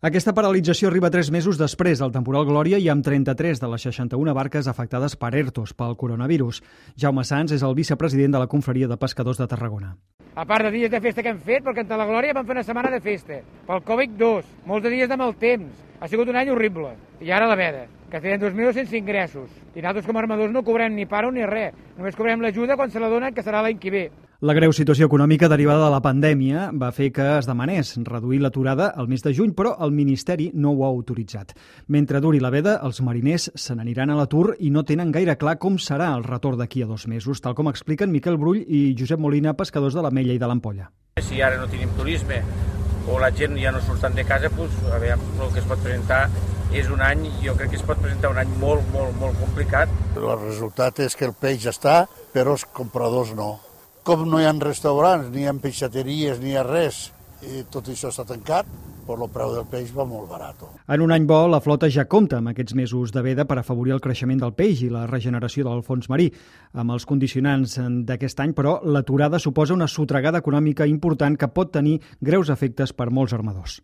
Aquesta paralització arriba 3 mesos després del temporal Glòria i amb 33 de les 61 barques afectades per ERTOs pel coronavirus. Jaume Sans és el vicepresident de la Confraria de Pescadors de Tarragona. A part de dies de festa que hem fet, perquè a la Glòria vam fer una setmana de festa. Pel Covid 2, molts de dies de mal temps. Ha sigut un any horrible. I ara la veda, que tenen 2 mesos sense ingressos. I nosaltres com a armadors no cobrem ni paro ni res. Només cobrem l'ajuda quan se la donen, que serà l'any que ve. La greu situació econòmica derivada de la pandèmia va fer que es demanés reduir l'aturada al mes de juny, però el Ministeri no ho ha autoritzat. Mentre duri la veda, els mariners se n'aniran a l'atur i no tenen gaire clar com serà el retorn d'aquí a 2 mesos, tal com expliquen Miquel Brull i Josep Molina, pescadors de l'Ametlla i de l'Ampolla. Si ara no tenim turisme o la gent ja no surten de casa, doncs, a veure, el que es pot presentar és un any, jo crec que es pot presentar un any molt complicat. El resultat és que el peix està, però els compradors no. Com no hi ha restaurants, ni hi ha peixateries, ni hi ha res, i tot això està tancat, però el preu del peix va molt barat. En un any bo, la flota ja compta amb aquests mesos de veda per afavorir el creixement del peix i la regeneració del fons marí. Amb els condicionants d'aquest any, però, l'aturada suposa una sotregada econòmica important que pot tenir greus efectes per molts armadors.